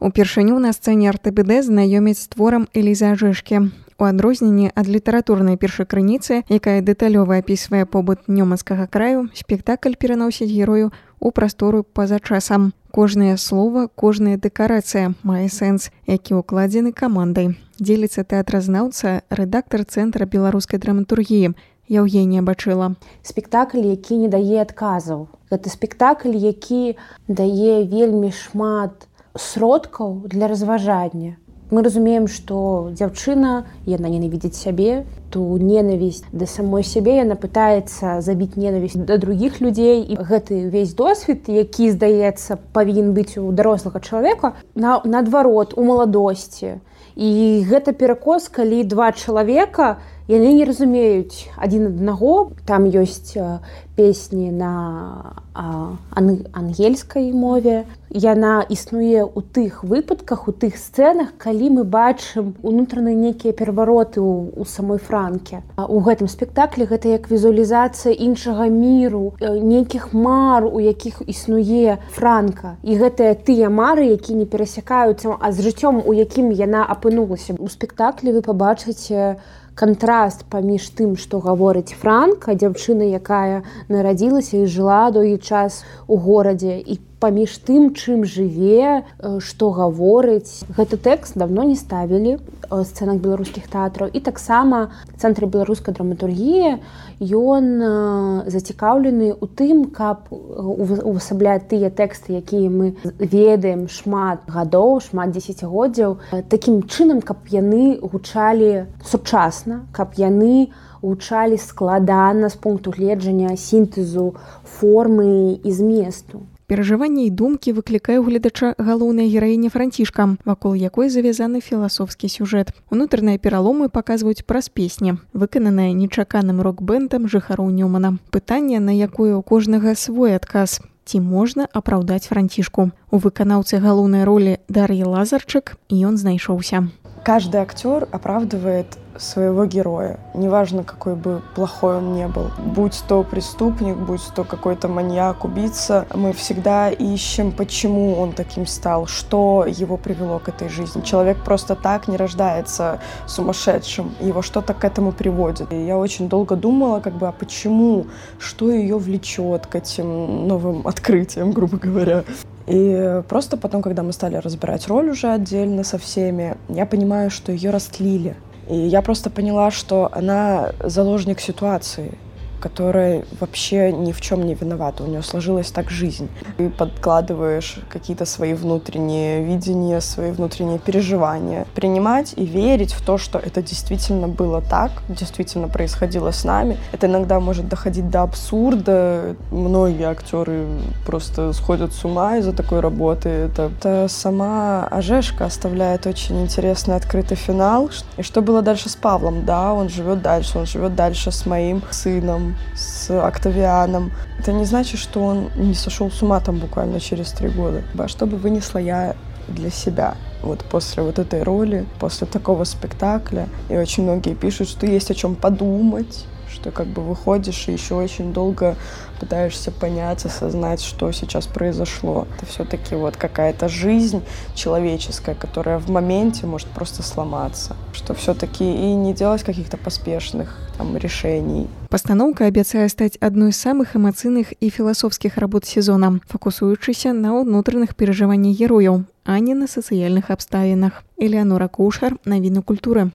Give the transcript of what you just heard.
Упершыню на сцэне РТБД знаёміць з творам Элізы Ажэшкі. У адрозненні ад літаратурнай першакрыніцы, якая дэталёва апісвае побыт нёманскага краю, спектакль пераносіць герою у прастору па-за часам. Кожнае слова, кожная дэкарацыя мае сэнс, які ўкладзены камандай. Дзеліцца тэатразнаўца, рэдактар Цэнтра беларускай драматургіі Яўгенія Бачыла. Спектакль, які не дае адказаў. Гэта спектакль, які дае вельмі шмат сродкаў для разважання. Мы разумеем, што дзяўчына, яна ненавідзіць сябе, ту ненавісць да самой сябе, яна пытаецца забіць ненавісць да другіх людзей. І гэты ўвесь досвед, які, здаецца, павінен быць у дарослага чалавека, наадварот, у маладосці. І гэта перакос, калі два чалавека, яны не разумеюць адзін аднаго. Там ёсць песні на ангельскай мове. Яна існуе ў тых выпадках, у тых сцэнах, калі мы бачым унутраныя нейкія перавароты ў самой Франке. У гэтым спектаклі гэта як візуалізацыя іншага міру, нейкіх мар, у якіх існуе Франка. І гэтыя тыя мары, які не перасякаюцца, а з жыццём, у якім яна апынулася. У спектаклі вы пабачыце кантраст паміж тым, што гаворыць Франка, дзяўчына, якая нарадзілася і жыла доўгі час у горадзе, і паміж тым, чым жыве, што гаворыць. Гэты тэкст даўно не ставілі ў сцэнах беларускіх тэатраў. І таксама Цэнтр беларускай драматургіі, ён зацікаўлены ў тым, каб увасабляць тыя тэксты, якія мы ведаем шмат гадоў, шмат дзесяцігоддзяў, такім чынам, каб яны гучалі сучасна, каб яны гучалі складана з пункту гледжання сінтэзу формы і зместу. Перажыванні і думкі выклікае ў гледача галоўная гераіня Францішка, вакол якой завязаны філасофскі сюжэт. Унутраныя пераломы паказваюць праз песні, выкананыя нечаканым рок-бэндам жыхароў Нёмана. Пытанне, на якое ў кожнага свой адказ. Ці можна апраўдаць Францішку? У выканаўцы галоўнай ролі Дар'і Лазарчык ён знайшоўся. Каждый актер оправдывает своего героя, неважно, какой бы плохой он ни был. Будь то преступник, будь то какой-то маньяк, убийца, мы всегда ищем, почему он таким стал, что его привело к этой жизни. Человек просто так не рождается сумасшедшим, его что-то к этому приводит. И я очень долго думала, а почему, что ее влечет к этим новым открытиям, грубо говоря. И просто потом, когда мы стали разбирать роль уже отдельно со всеми, я понимаю, что ее растлили. И я просто поняла, что она заложник ситуации, которая вообще ни в чем не виновата. У нее сложилась так жизнь. Ты подкладываешь какие-то свои внутренние видения, свои внутренние переживания. Принимать и верить в то, что это действительно было так, действительно происходило с нами. Это иногда может доходить до абсурда. Многие актеры просто сходят с ума из-за такой работы. Это сама Ажешка оставляет очень интересный открытый финал. И что было дальше с Павлом? Да, он живет дальше с моим сыном, с Октавианом. Это не значит, что он не сошел с ума там буквально через 3 года. А что бы вынесла я для себя после этой роли, после такого спектакля? И очень многие пишут, что есть о чем подумать, что выходишь и еще очень долго пытаешься понять, осознать, что сейчас произошло. Это все-таки какая-то жизнь человеческая, которая в моменте может просто сломаться. Что все-таки и не делать каких-то поспешных решений. Пастаноўка абяцае стаць адной з самых эмацыйных і філасофскіх работ сезона, фокусуючыся на ўнутраных перажываннях герояў, а не на сацыяльных абставінах. Элеанора Кушар, навіны культуры.